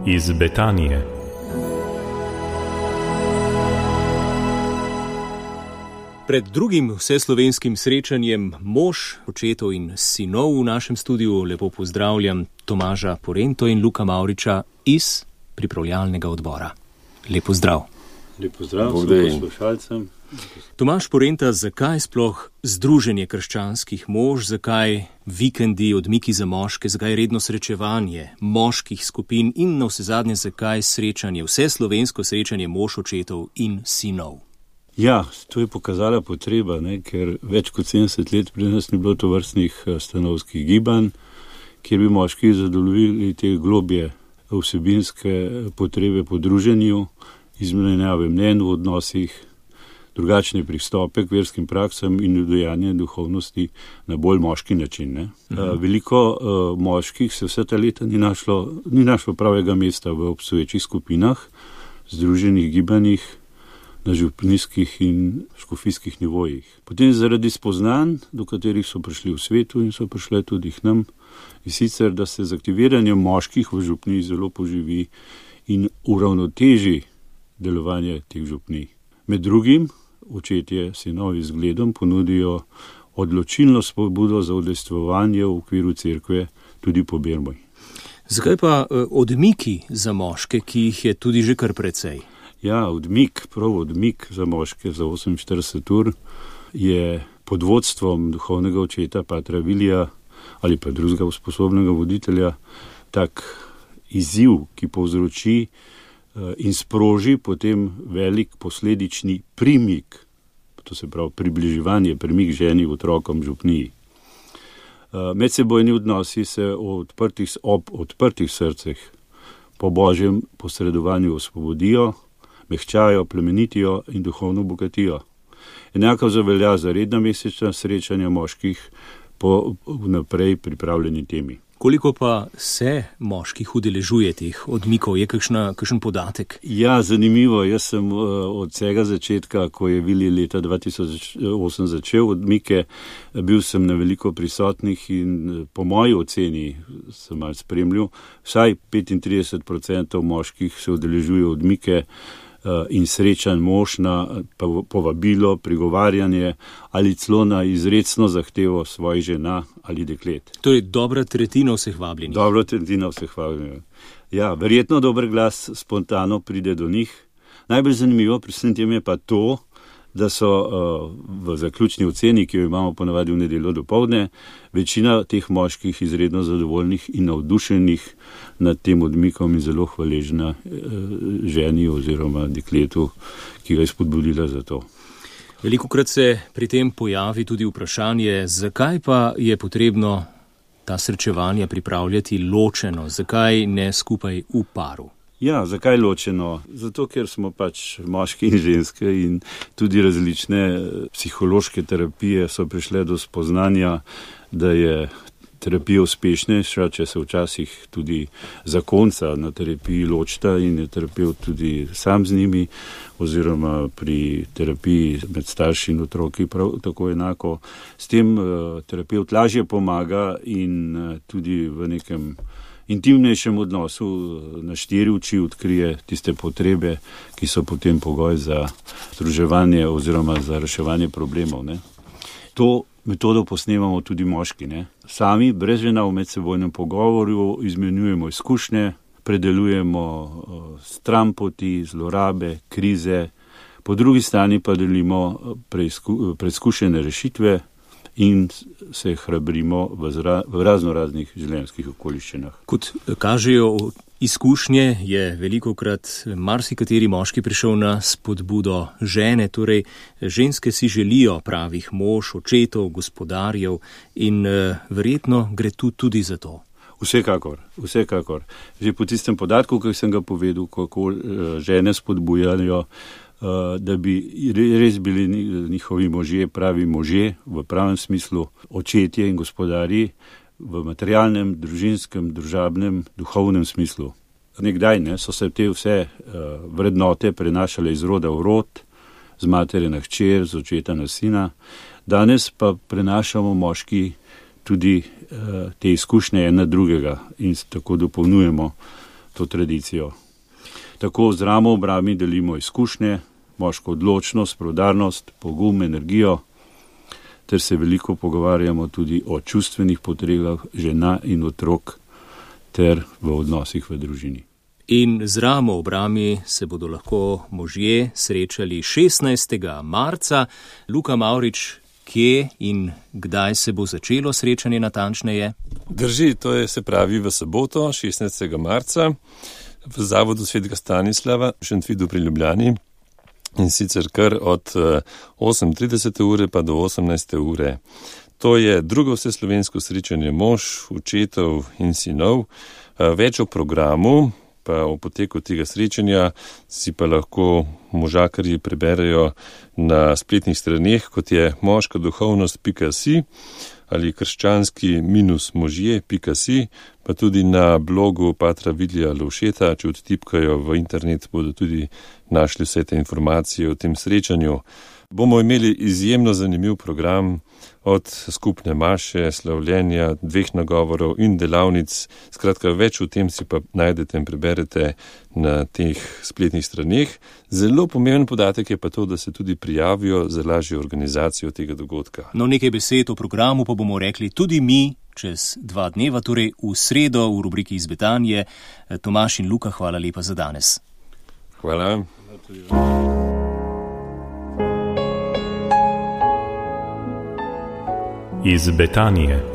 iz Betanije. Pred drugim vseslovenskim srečanjem mož, očetov in sinov v našem studiu lepo pozdravljam Tomaža Porento in Luka Mavriča iz pripravljalnega odbora. Lep pozdrav. Lep pozdrav vsem poslušalcem. Tomaž Porenta, zakaj sploh združenje krščanskih mož, zakaj vikendi, odmiki za moške, zakaj redno srečevanje moških skupin in navsezadnje zakaj srečanje, vseslovensko srečanje mož, očetov in sinov? Ja, to je pokazala potreba, ker več kot 70 let pri nas ni bilo tovrstnih stanovskih gibanj, kjer bi moški zadovoljili te globje vsebinske potrebe po druženju, izmenjave mnenj v odnosih, drugačne pristope k verskim praksam in udejanje duhovnosti na bolj moški način. Veliko moških se vse ta leta ni našlo pravega mesta v obstoječih skupinah, združenih gibanjih, na župnijskih in škofijskih nivojih. Potem zaradi spoznanj, do katerih so prišli v svetu in so prišle tudi k nam, in sicer, da se z aktiviranjem moških v župniji zelo poživi in uravnoteži delovanje teh župnij. Med drugim, očetje sinovi zgledom ponudijo odločilno spodbudo za udejstvovanje v okviru cerkve tudi po Bermoj. Zakaj pa odmiki za moške, ki jih je tudi že kar precej? Ja, odmik za moške za 48 ur je pod vodstvom duhovnega očeta patra Vilija ali pa drugega usposobnega voditelja tak izziv, ki povzroči in sproži potem velik posledični primik, to se pravi približevanje, premik ženi, otrokom, župniji. Medsebojni odnosi se ob odprtih srcih po božjem posredovanju osvobodijo, mehčajo, plemenitijo in duhovno bogatijo. Enako zavelja za redna mesečna srečanja moških po vnaprej pripravljeni temi. Koliko pa se moških udeležuje teh odmikov? Je kakšen podatek? Ja, zanimivo. Jaz sem od vsega začetka, ko je Vili leta 2008 začel odmike, bil sem na veliko prisotnih in po moji oceni sem malo spremljal, vsaj 35% moških se udeležuje odmike in srečanj mož na povabilo, prigovarjanje ali celo na izrecno zahtevo svojih žena ali deklet. Torej dobra tretjina vseh vabljenih. Dobra tretjina vseh vabljenih. Ja, verjetno dober glas spontano pride do njih. Najbolj zanimivo pri vsem tem je pa to, da so v zaključni oceni, ki jo imamo ponavadi v nedeljo dopoldne, večina teh moških izredno zadovoljnih in navdušenih nad tem odmikom in zelo hvaležna ženi oziroma dekletu, ki ga je spodbudila za to. Velikokrat se pri tem pojavi tudi vprašanje, zakaj pa je potrebno ta srečevanja pripravljati ločeno, zakaj ne skupaj v paru? Ja, zakaj ločeno? Zato, ker smo pač moški in ženske in tudi različne psihološke terapije so prišle do spoznanja, da je terapija uspešnejša, če se včasih tudi zakonca na terapiji ločita in je terapevt tudi sam z njimi, oziroma pri terapiji med starši in otroki prav tako enako. S tem terapevt lažje pomaga in tudi v nekem intimnejšem odnosu na 4 oči odkrije tiste potrebe, ki so potem pogoj za združevanje oziroma za reševanje problemov. To metodo posnemamo tudi moški. Sami, brez žena, v medsebojnem pogovoru izmenjujemo izkušnje, predelujemo stranpoti, zlorabe, krize, po drugi strani pa delimo preizkušene rešitve in se hrabrimo v raznoraznih življenjskih okoliščinah. Kot kažejo izkušnje, je velikokrat marsikateri moški prišel na spodbudo žene, torej ženske si želijo pravih mož, očetov, gospodarjev in verjetno gre tu tudi za to. Vsekakor. Že po tistem podatku, ki sem ga povedal, kako žene spodbujajo, da bi res bili njihovi možje pravi možje v pravem smislu, očetje in gospodarji v materialnem, družinskem, družabnem, duhovnem smislu. Nekdaj so se te vse vrednote prenašale iz roda v rod, z matere na hčer, z očeta na sina. Danes pa prenašamo moški tudi te izkušnje ena drugega in tako dopolnjujemo to tradicijo. Tako z ramo obrami delimo izkušnje, moško odločnost, proudarnost, pogum, energijo, ter se veliko pogovarjamo tudi o čustvenih potrebah žena in otrok ter v odnosih v družini. In z ramo ob rami se bodo lahko možje srečali 16. marca. Luka Mavrič, kje in kdaj se bo začelo srečanje natančneje? Drži, to je se pravi v soboto, 16. marca, v Zavodu Svetega Stanislava v Šentvidu pri Ljubljani. In sicer kar od 8:30 ure pa do 18. ure. To je drugo vseslovensko srečanje mož, očetov in sinov. Več o programu, pa o poteku tega srečanja si pa lahko možakarji preberejo na spletnih straneh, kot je moškaduhovnost.si ali krščanski-možje.si, pa tudi na blogu patra Vilija Lovšeta. Če odtipkajo v internet, bodo tudi našli vse te informacije o tem srečanju. Bomo imeli izjemno zanimiv program, od skupne maše, slavljenja, 2 nagovorov in delavnic. Skratka, več o tem si pa najdete in preberete na teh spletnih straneh. Zelo pomemben podatek je pa to, da se tudi prijavijo za lažjo organizacijo tega dogodka. No, nekaj besed o programu pa bomo rekli tudi mi čez 2 dneva, torej v sredo v rubriki Iz Betanije. Tomaž in Luka, hvala lepa za danes. Hvala. Iz Betanije.